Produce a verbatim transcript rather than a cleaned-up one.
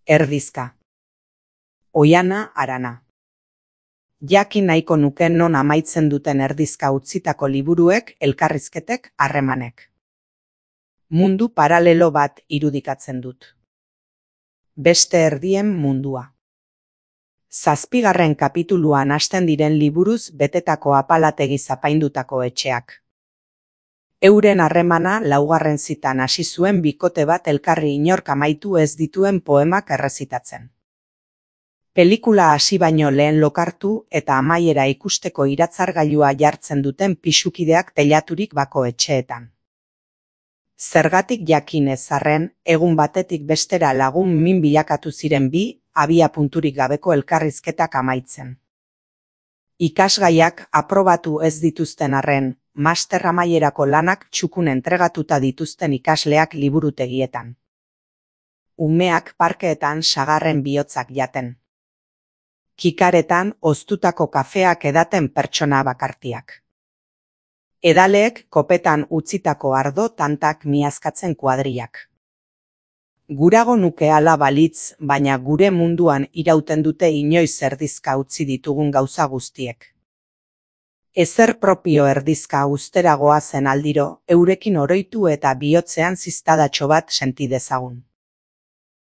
Erdizka. Oiana Arana. Jakin nahiko nuke non amaitzen duten erdizka utzitako liburuek, elkarrizketek, harremanek. Mundu paralelo bat irudikatzen dut. Beste erdien mundua. Zazpigarren kapituluan hasten diren liburuz betetako apalategi zapaindutako etxeak. Euren harremana laugarren zitan hasi zuen bikote bat elkarri inork amaitu ez dituen poemak errezitatzen. Pelikula hasi baino lehen lokartu eta amaiera ikusteko iratzargailua jartzen duten pisukideak teilaturik bako etxeetan. Zergatik jakin ez arren, egun batetik bestera lagun min bilakatu ziren bi, abia punturik gabeko elkarrizketak amaitzen. Ikasgaiak aprobatu ez dituzten arren, master amaierako lanak txukun entregatuta dituzten ikasleak liburutegietan. Umeak parkeetan sagarren bihotzak jaten. Kikaretan oztutako kafeak edaten pertsona bakartiak. Edaleek kopetan utzitako ardo tantak miazkatzen kuadriak. Gurago nuke hala balitz, baina gure munduan irauten dute inoiz erdizka utzi ditugun gauza guztiek. Ezer propio erdizka ustera goazen aldiro, eurekin oroitu eta bihotzean ziztadatxo bat senti dezagun.